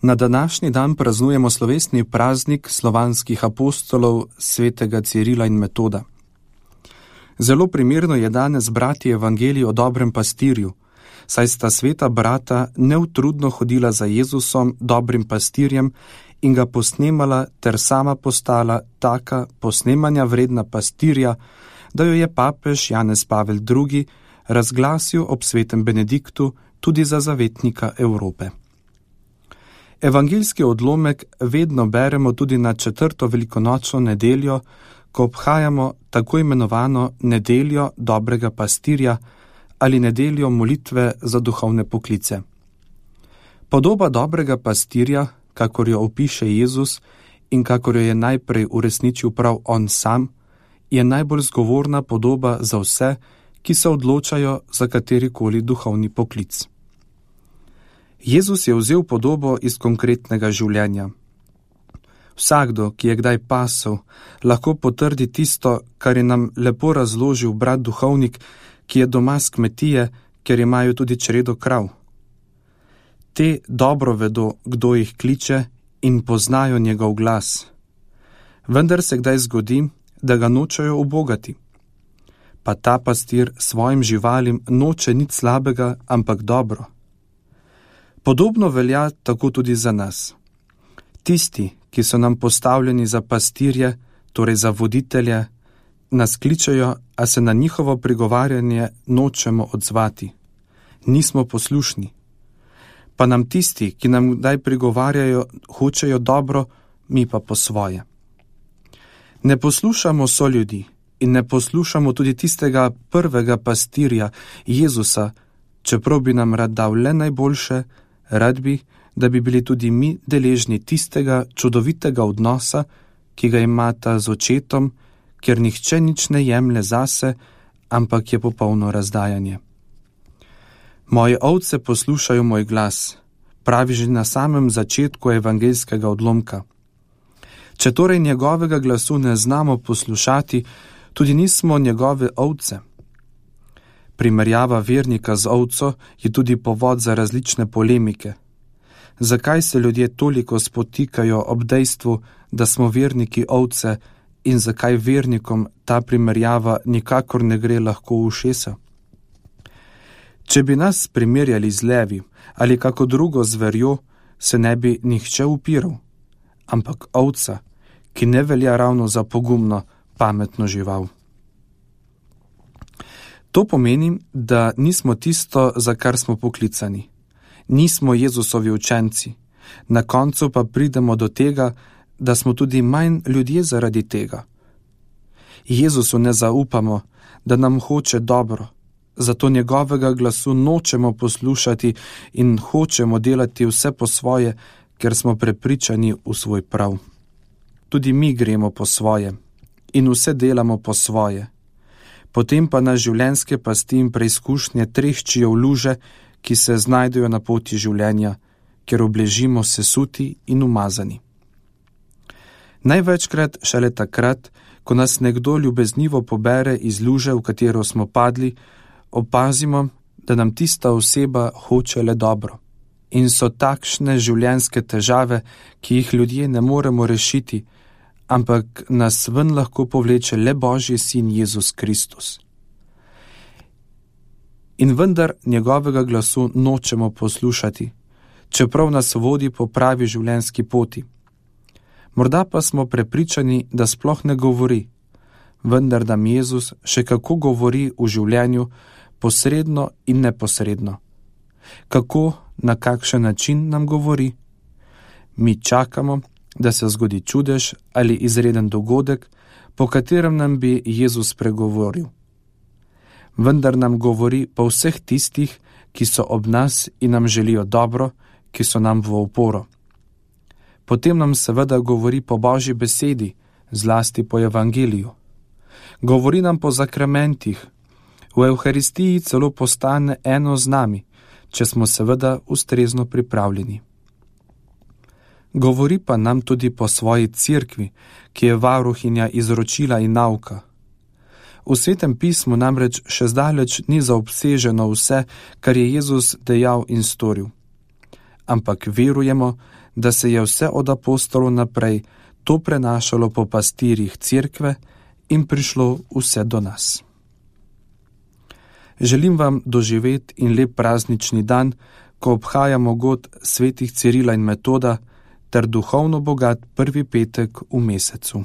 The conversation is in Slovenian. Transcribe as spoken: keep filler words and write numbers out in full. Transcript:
Na današnji dan praznujemo slovesni praznik slovanskih apostolov svetega Cirila in Metoda. Zelo primerno je danes brati evangelij o dobrem pastirju, saj sta sveta brata neutrudno hodila za Jezusom, dobrim pastirjem, in ga posnemala ter sama postala taka posnemanja vredna pastirja, da jo je papež Janez Pavel drugi razglasil ob svetem Benediktu tudi za zavetnika Evrope. Evangeljski odlomek vedno beremo tudi na četrto velikonočno nedeljo, ko obhajamo tako imenovano nedeljo dobrega pastirja ali nedeljo molitve za duhovne poklice. Podoba dobrega pastirja, kakor jo opiše Jezus in kakor jo je najprej uresničil prav on sam, je najbolj zgovorna podoba za vse, ki se odločajo za katerikoli duhovni poklic. Jezus je vzel podobo iz konkretnega življenja. Vsakdo, ki je kdaj pasel, lahko potrdi tisto, kar je nam lepo razložil brat duhovnik, ki je doma s kmetije, ker imajo tudi čredo krav. Te dobro vedo, kdo jih kliče, in poznajo njegov glas. Vendar se kdaj zgodi, da ga nočejo ubogati. Pa ta pastir svojim živalim noče nič slabega, ampak dobro. Podobno velja tako tudi za nas. Tisti, ki so nam postavljeni za pastirje, torej za voditelje, nas kličejo, a se na njihovo prigovarjanje nočemo odzvati. Nismo poslušni. Pa nam tisti, ki nam kdaj prigovarjajo, hočejo dobro, mi pa po svoje. Ne poslušamo soljudi in ne poslušamo tudi tistega prvega pastirja, Jezusa, čeprav bi nam rad dal le najboljše, rad bi, da bi bili tudi mi deležni tistega čudovitega odnosa, ki ga imata z očetom, ker nihče nič ne jemlje zase, ampak je popolno razdajanje. Moje ovce poslušajo moj glas, pravi že na samem začetku evangeljskega odlomka. Če torej njegovega glasu ne znamo poslušati, tudi nismo njegove ovce. Primerjava vernika z ovco je tudi povod za različne polemike. Zakaj se ljudje toliko spotikajo ob dejstvu, da smo verniki ovce, in zakaj vernikom ta primerjava nikakor ne gre lahko v ušesa? Če bi nas primerjali z levi ali kako drugo zverjo, se ne bi nihče upiral, ampak ovca, ki ne velja ravno za pogumno, pametno žival. To pomeni, da nismo tisto, za kar smo poklicani. Nismo Jezusovi učenci. Na koncu pa pridemo do tega, da smo tudi manj ljudje zaradi tega. Jezusu ne zaupamo, da nam hoče dobro, zato njegovega glasu nočemo poslušati in hočemo delati vse po svoje, ker smo prepričani v svoj prav. Tudi mi gremo po svoje in vse delamo po svoje. Potem pa na življenjske pasti in preizkušnje treščijo v luže, ki se znajdejo na poti življenja, ker obležimo sesuti in umazani. Največkrat šele takrat, ko nas nekdo ljubeznivo pobere iz luže, v katero smo padli, opazimo, da nam tista oseba hoče le dobro. In so takšne življenjske težave, ki jih ljudje ne moremo rešiti, ampak nas ven lahko povleče le Božji sin Jezus Kristus. In vendar njegovega glasu nočemo poslušati, čeprav nas vodi po pravi življenjski poti. Morda pa smo prepričani, da sploh ne govori, vendar nam Jezus še kako govori v življenju, posredno in neposredno. Kako, na kakšen način nam govori? Mi čakamo, da se zgodi čudež ali izreden dogodek, po katerem nam bi Jezus pregovoril. Vendar nam govori po vseh tistih, ki so ob nas in nam želijo dobro, ki so nam v oporo. Potem nam seveda govori po Božji besedi, zlasti po evangeliju. Govori nam po zakramentih, v Evharistiji celo postane eno z nami, če smo seveda ustrezno pripravljeni. Govori pa nam tudi po svoji cerkvi, ki je varuhinja izročila in nauka. V Svetem pismu namreč še zdaleč ni zaobseženo vse, kar je Jezus dejal in storil. ampak verujemo, da se je vse od apostolov naprej to prenašalo po pastirjih cerkve in prišlo vse do nas. Želim vam doživeti in lep praznični dan, ko obhajamo god svetih Cirila in Metoda ter duhovno bogat prvi petek v mesecu.